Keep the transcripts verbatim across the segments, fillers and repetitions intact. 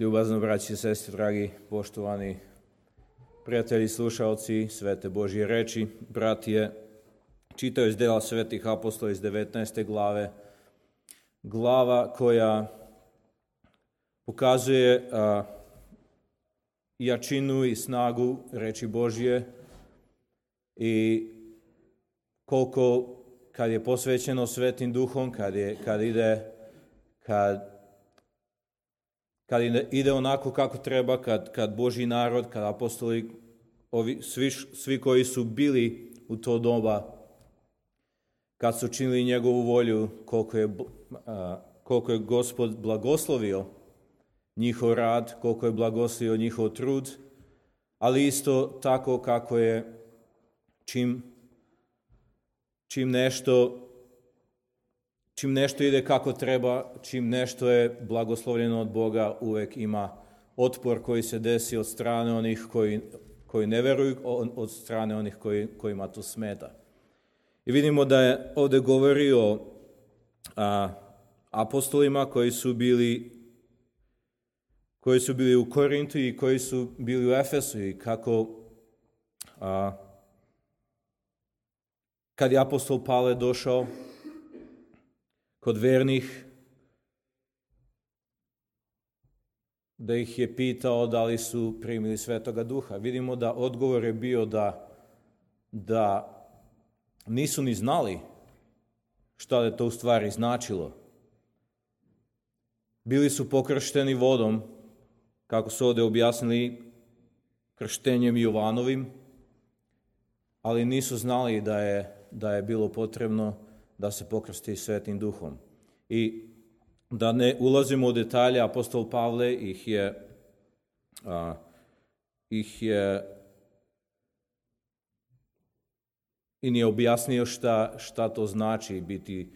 Ljubazno, braći i sestri, dragi, poštovani prijatelji, slušalci Svete Božje reči, bratije, čitao iz dela Svetih apostola iz devetnaeste glave, glava koja pokazuje a, jačinu i snagu reči Božje i koliko kad je posvećeno Svetim Duhom, kad, je, kad ide kad Kad ide onako kako treba, kad, kad Božji narod, kad apostoli, ovi, svi, svi koji su bili u to doba, kad su činili njegovu volju, koliko je, a, koliko je Gospod blagoslovio njihov rad, koliko je blagoslovio njihov trud, ali isto tako kako je čim, čim nešto Čim nešto ide kako treba, čim nešto je blagoslovljeno od Boga, uvek ima otpor koji se desi od strane onih koji, koji ne veruju, od strane onih koji, kojima to smeta. I vidimo da je ovdje govorio a, apostolima koji su bili koji su bili u Korintu i koji su bili u Efesu i kako a, kad je apostol Pavle došao kod vernih, da ih je pitao da li su primili Svetoga Duha. Vidimo da odgovor je bio da, da nisu ni znali šta je to u stvari značilo. Bili su pokršteni vodom, kako su ovdje objasnili, krštenjem Jovanovim, ali nisu znali da je, da je bilo potrebno da se pokrsti Svetim Duhom. I da ne ulazimo u detalje, apostol Pavle ih je, a, ih je i nije objasnio šta, šta to znači biti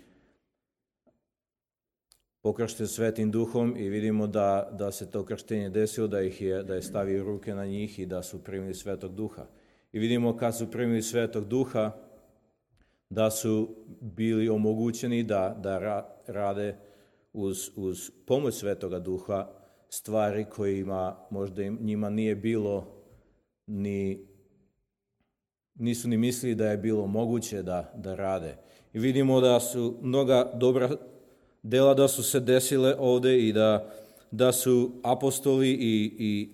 pokršten Svetim Duhom i vidimo da, da se to krštenje desilo, da ih je, da je stavio ruke na njih i da su primili Svetog Duha. I vidimo kad su primili Svetog Duha, da su bili omogućeni da, da ra, rade uz, uz pomoć Svetoga Duha stvari kojima možda im, njima nije bilo, ni, nisu ni mislili da je bilo moguće da, da rade. I vidimo da su mnoga dobra dela da su se desile ovdje i da, da su apostoli i, i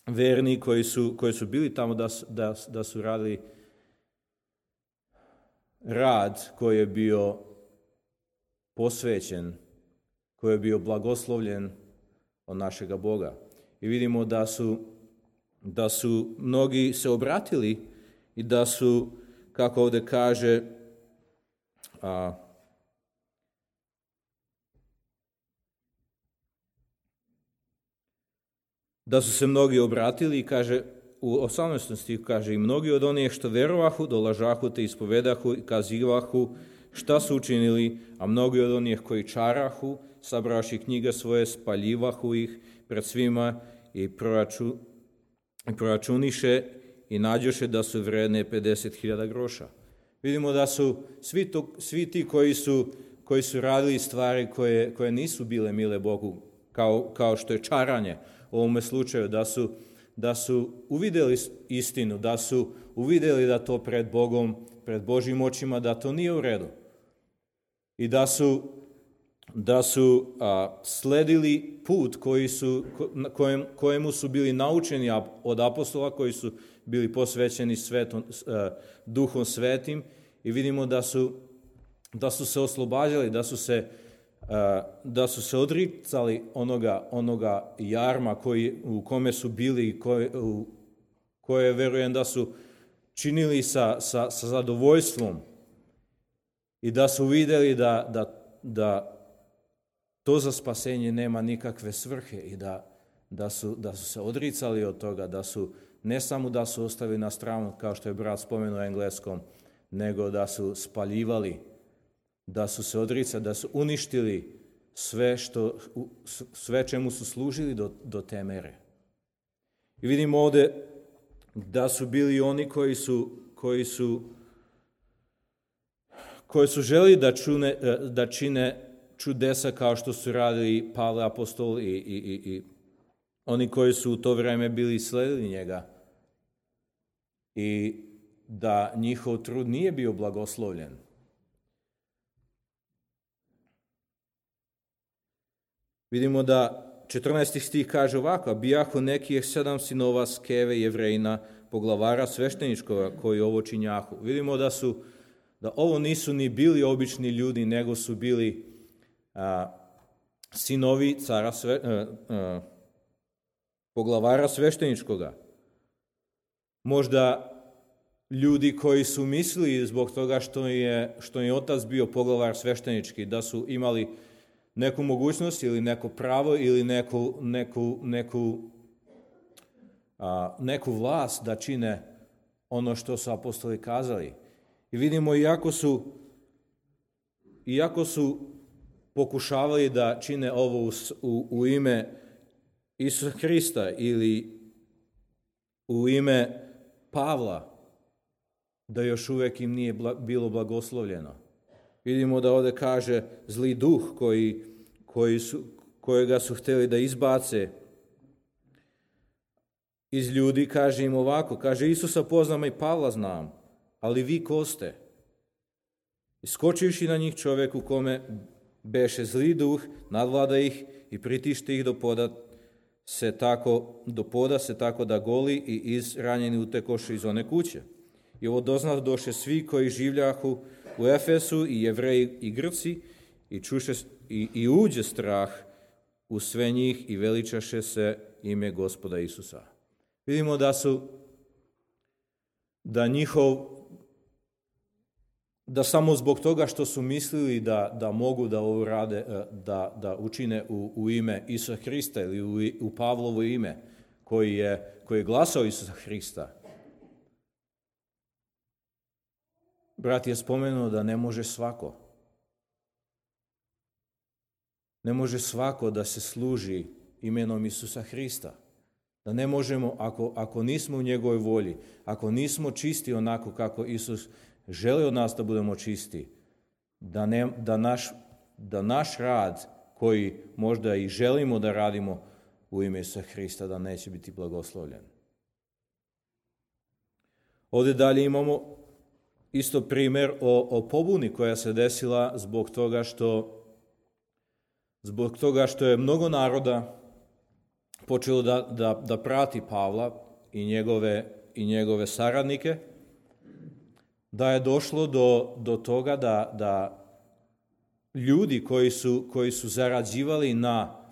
verni koji su, koji su bili tamo da, da, da su radili rad koji je bio posvećen, koji je bio blagoslovljen od našega Boga. I vidimo da su, da su mnogi se obratili i da su, kako ovdje kaže, a, da su se mnogi obratili i kaže, u osamnaestom stihu kaže, i mnogi od onih što verovahu, dolažahu te ispovedahu i kazivahu šta su učinili, a mnogi od onih koji čarahu, sabraši knjige svoje, spaljivahu ih pred svima i, proraču, i proračuniše i nađoše da su vredne pedeset hiljada groša. Vidimo da su svi, to, svi ti koji su, koji su radili stvari koje, koje nisu bile mile Bogu, kao, kao što je čaranje u ovome slučaju, da su da su uvidjeli istinu, da su uvidjeli da to pred Bogom, pred Božjim očima, da to nije u redu. I da su, da su a, sledili put koji su, kojem, kojemu su bili naučeni od apostola, koji su bili posvećeni svetom, a, Duhom Svetim i vidimo da su, da su se oslobađali, da su se da su se odricali onoga, onoga jarma koji, u kome su bili i koje, u koje verujem da su činili sa, sa, sa zadovoljstvom i da su vidjeli da, da, da to za spasenje nema nikakve svrhe i da, da, su, da su se odricali od toga, da su ne samo da su ostavili na stranu, kao što je brat spomenuo u engleskom, nego da su spaljivali, da su se odricali, da su uništili sve, što, sve čemu su služili do, do te mere. I vidimo ovdje da su bili oni koji su, koji su, koji su želi da, čune, da čine čudesa kao što su radili Pavle apostol i, i, i, oni koji su u to vrijeme bili sledili njega i da njihov trud nije bio blagoslovljen. Vidimo da četrnaesti stih kaže ovako: bijahu nekih sedam sinova Skeve Jevrejina, poglavara svešteničkoga koji ovo činjahu. Vidimo da su da ovo nisu ni bili obični ljudi, nego su bili a, sinovi cara sve, a, a, poglavara svešteničkoga. Možda ljudi koji su mislili zbog toga što je, što je otac bio poglavar sveštenički, da su imali neku mogućnost ili neko pravo ili neku, neku, neku, a, neku vlast da čine ono što su apostoli kazali. I vidimo, iako su, iako su pokušavali da čine ovo u, u, u ime Isusa Hrista ili u ime Pavla, da još uvijek im nije bilo blagoslovljeno. Vidimo da ovdje kaže zli duh koji, koji su, kojega su htjeli da izbace iz ljudi, kaže im ovako, kaže Isusa poznam i Pavla znam, ali vi ko ste? Iskočivši na njih čovjek u kome beše zli duh, nadvlada ih i pritište ih do poda se tako, do poda se tako da goli i izranjeni utekoše iz one kuće. I ovo doznah doše svi koji življahu u Efesu, i Jevreji i Grci, i, čuše, i, i uđe strah u sve njih i veličaše se ime Gospoda Isusa. Vidimo da su, da njihov, da samo zbog toga što su mislili da, da mogu da ovo rade, da, da učine u, u ime Isusa Hrista ili u, u Pavlovo ime, koji je, koji je glasao Isusa Hrista. Brat je spomenuo da ne može svako. Ne može svako da se služi imenom Isusa Hrista. Da ne možemo, ako, ako nismo u njegovoj volji, ako nismo čisti onako kako Isus želi od nas da budemo čisti, da, ne, da, naš, da naš rad koji možda i želimo da radimo u ime Isusa Hrista, da neće biti blagoslovljen. Ovdje dalje imamo isto primjer o, o pobuni koja se desila zbog toga što zbog toga što je mnogo naroda počelo da, da, da prati Pavla i njegove, i njegove saradnike, da je došlo do, do toga da, da ljudi koji su, koji su zarađivali na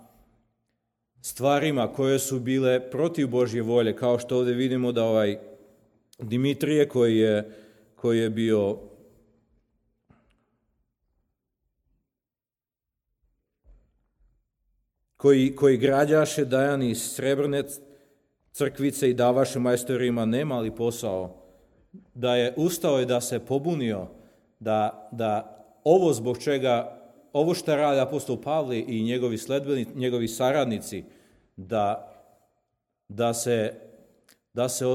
stvarima koje su bile protiv Božje volje, kao što ovdje vidimo da ovaj Dimitrije koji je koji je bio koji, koji građaše Dajan iz srebrne crkvice i davaše majstorima nemali posao, da je ustao i da se pobunio, da, da ovo zbog čega, ovo što radi apostol Pavle i njegovi sledbenici, njegovi saradnici, da, da se da se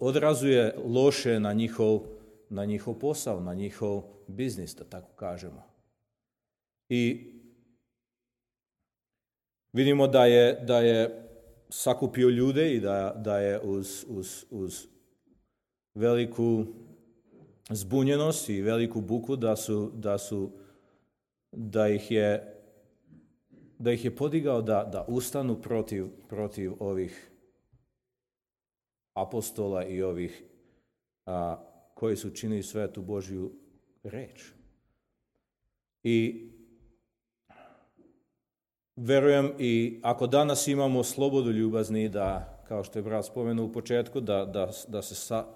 odrazuje loše na njihov, na njihov posao, na njihov biznis, da tako kažemo. I vidimo da je, da je sakupio ljude i da, da je uz, uz, uz veliku zbunjenost i veliku buku da su, da su da ih je da ih je podigao da, da ustanu protiv, protiv ovih apostola i ovih a, koji su činili svetu Božju reč. I verujem, i ako danas imamo slobodu ljubazni, da, kao što je brat spomenuo u početku, da, da, da se sa,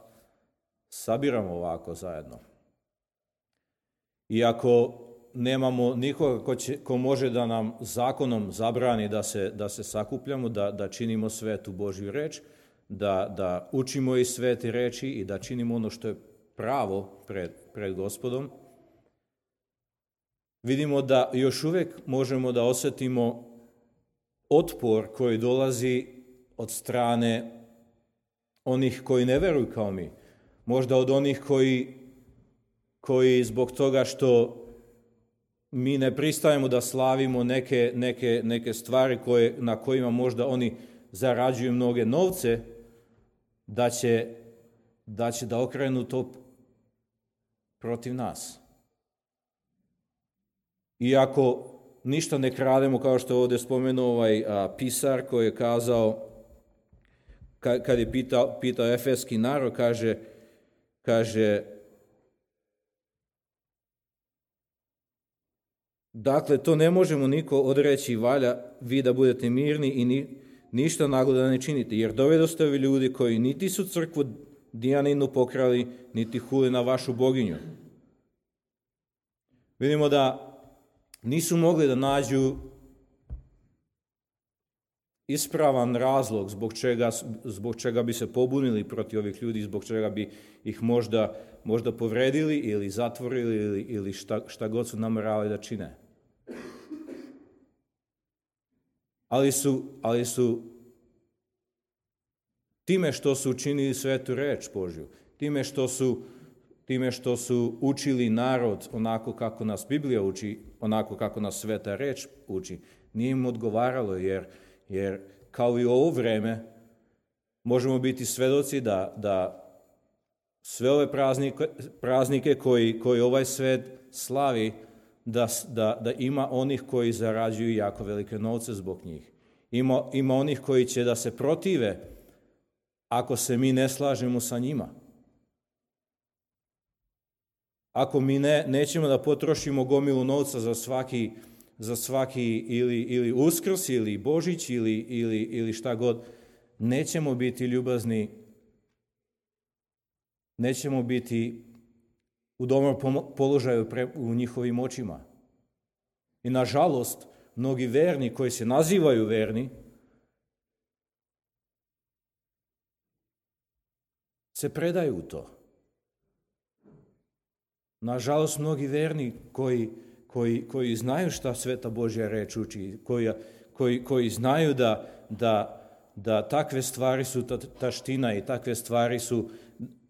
sabiramo ovako zajedno. I ako nemamo nikoga ko, će, ko može da nam zakonom zabrani da se, da se sakupljamo, da, da činimo svetu Božju reč, Da, da učimo iz svete reči i da činimo ono što je pravo pred, pred Gospodom, vidimo da još uvijek možemo da osjetimo otpor koji dolazi od strane onih koji ne veruju kao mi. Možda od onih koji, koji zbog toga što mi ne pristajemo da slavimo neke, neke, neke stvari koje, na kojima možda oni zarađuju mnoge novce, da će da, će da okrenu to protiv nas. Iako ništa ne krademo, kao što je ovdje spomenuo ovaj a, pisar koji je kazao, ka, kad je pitao, pitao efeski narod, kaže, kaže dakle, to ne možemo niko odreći, valja vi da budete mirni i ni, ništa naglo da ne činite, jer dovedoste ovi ljudi koji niti su crkvu Dijaninu pokrali, niti huli na vašu boginju. Vidimo da nisu mogli da nađu ispravan razlog zbog čega, zbog čega bi se pobunili protiv ovih ljudi, zbog čega bi ih možda, možda povredili ili zatvorili ili, ili šta, šta god su nameravali da čine. Ali su, ali su time što su učinili svetu reč Božju, time što su, time što su učili narod onako kako nas Biblija uči, onako kako nas sveta reč uči, nije im odgovaralo, jer, jer kao i u ovo vreme možemo biti svedoci da, da sve ove praznike, praznike koji, koji ovaj svet slavi, da, da, da ima onih koji zarađuju jako velike novce zbog njih. Ima, ima onih koji će da se protive ako se mi ne slažemo sa njima. Ako mi ne, nećemo da potrošimo gomilu novca za svaki, za svaki ili, ili Uskrs ili Božić ili, ili, ili šta god, nećemo biti ljubazni, nećemo biti u dobrom položaju pre, u njihovim očima. I nažalost, mnogi verni koji se nazivaju verni, se predaju u to. Nažalost, mnogi verni koji, koji, koji znaju šta sveta Božja reč uči, koji, koji, koji znaju da, da, da takve stvari su ta, taština i takve stvari su,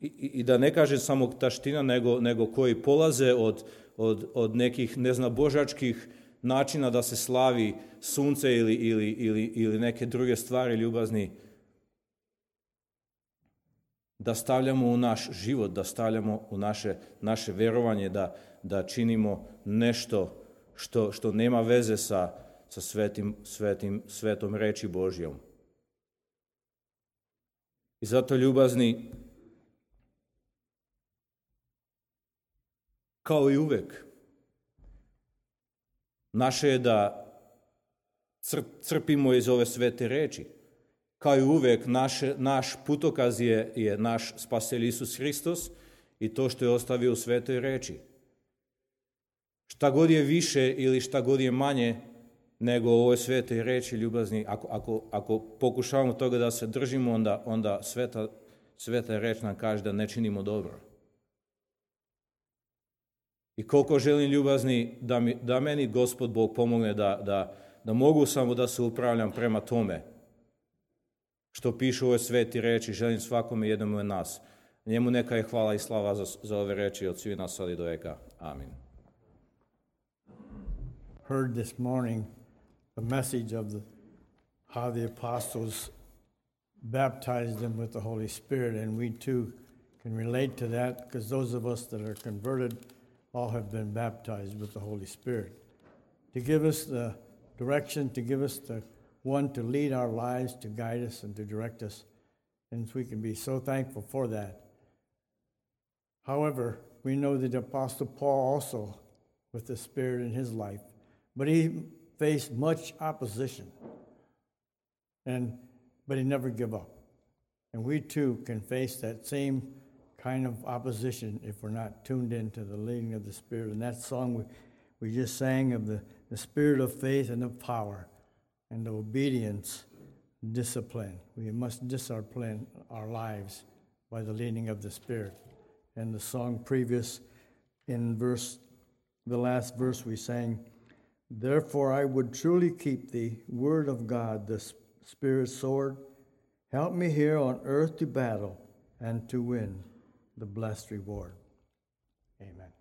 i, i da ne kažem samo taština, nego, nego koji polaze od, od, od nekih neznabožačkih načina da se slavi sunce ili, ili, ili, ili neke druge stvari ljubazni, da stavljamo u naš život, da stavljamo u naše, naše vjerovanje, da, da činimo nešto što, što nema veze sa, sa svetim, svetim, svetom reči Božjom. I zato, ljubazni, kao i uvek, naše je da crpimo iz ove svete reči. Kao i uvek, naš, naš putokaz je, je naš Spasitelj Isus Hristos i to što je ostavio u svetoj reči. Šta god je više ili šta god je manje nego u ovoj svetoj reči, ljubazni, ako, ako, ako pokušavamo toga da se držimo, onda, onda sveta, sveta reč nam kaže da ne činimo dobro. I koliko želim, ljubazni, da, mi, da meni Gospod Bog pomogne da, da, da mogu samo da se upravljam prema tome što piše u ovoj sveti reči, želim svakome jednom od nas. Njemu neka je hvala i slava za, za ove reči od svih nas sad i do veka. Amin. Heard this morning the message of the, how the apostles baptized them with the Holy Spirit, and we too can relate to that because those of us that are converted all have been baptized with the Holy Spirit. To give us the direction, to give us the one to lead our lives, to guide us and to direct us, and we can be so thankful for that. However, we know that the Apostle Paul also, with the Spirit in his life, but he faced much opposition, and but he never gave up. And we too can face that same kind of opposition if we're not tuned into the leading of the Spirit. And that song we, we just sang of the, the spirit of faith and of power, and the obedience, discipline. We must discipline our lives by the leading of the Spirit. And the song previous, in verse, the last verse we sang, therefore I would truly keep the word of God, the Spirit's sword. Help me here on earth to battle and to win the blessed reward. Amen.